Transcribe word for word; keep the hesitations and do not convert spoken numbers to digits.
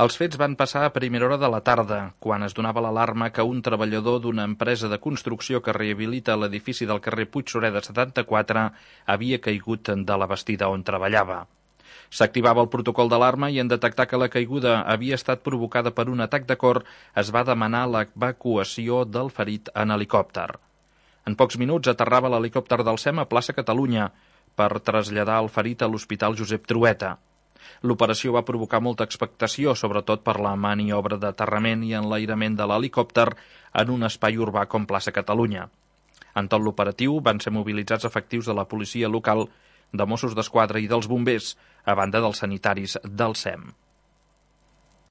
Els fets van passar a primera hora de la tarda, quan es donava l'alarma que un treballador d'una empresa de construcció que rehabilita l'edifici del carrer Puigsureda setanta-quatre havia caigut de la bastida on treballava. S'activava el protocol d'alarma i en detectar que la caiguda havia estat provocada per un atac de cor, es va demanar l'evacuació del ferit en helicòpter. En pocs minuts aterrava l'helicòpter del SEM a plaça Catalunya per traslladar el ferit a l'Hospital Josep Trueta. L'operació va provocar molta expectació, sobretot per la maniobra d'aterrament i enlairament de l'helicòpter en un espai urbà com plaça Catalunya. En tot l'operatiu van ser mobilitzats efectius de la policia local, de Mossos d'Esquadra i dels bombers, a banda dels sanitaris del SEM.